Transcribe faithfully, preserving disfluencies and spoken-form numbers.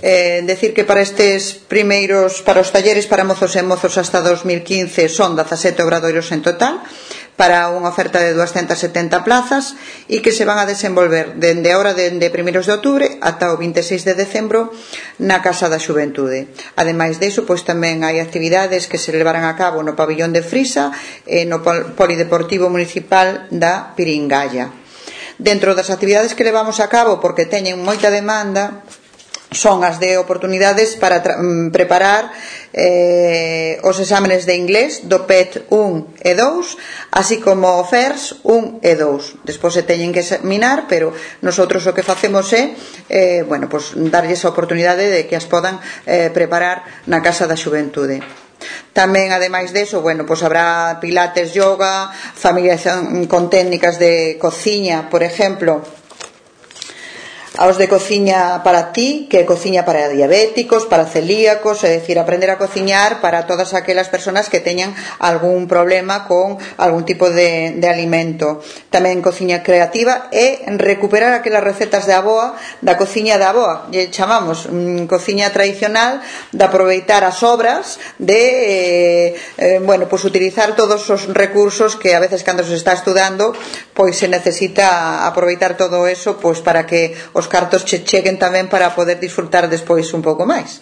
Eh, decir que para estes primeiros, para os talleres para mozos e mozos hasta dos mil quince son dezasete obradoiros en total, para unha oferta de duascentas e setenta plazas e que se van a desenvolver dende agora, dende primeiros de outubro ata o vinte e seis de decembro na Casa da Xuventude. Ademais deso, pois tamén hai actividades que se levarán a cabo no pabillón de Frisa e no Polideportivo Municipal da Piringalla. Dentro das actividades que levamos a cabo, porque teñen moita demanda, son as de oportunidades para preparar eh, os exámenes de inglés do P E T un e dous, así como o F E R S un e dous. Despois se teñen que examinar, pero nosotros o que facemos é eh, bueno, pues, darlles a oportunidade de que as podan eh, preparar na Casa da Xuventude. Tamén, ademais deso, bueno, pues habrá pilates, yoga, familiarización con técnicas de cociña, por exemplo, aos de cociña para ti, que é cociña para diabéticos, para celíacos, é dicir, aprender a cociñar para todas aquelas persoas que teñan algún problema con algún tipo de, de alimento. Tamén cociña creativa e recuperar aquelas recetas de avoa, da cociña da avoa, lle chamamos mm, cociña tradicional, de aproveitar as sobras, de eh, eh, bueno, pues utilizar todos os recursos que a veces cando se está estudando, pois se necesita aproveitar todo eso, pois para que os cartos che cheguen tamén para poder disfrutar despois un pouco máis.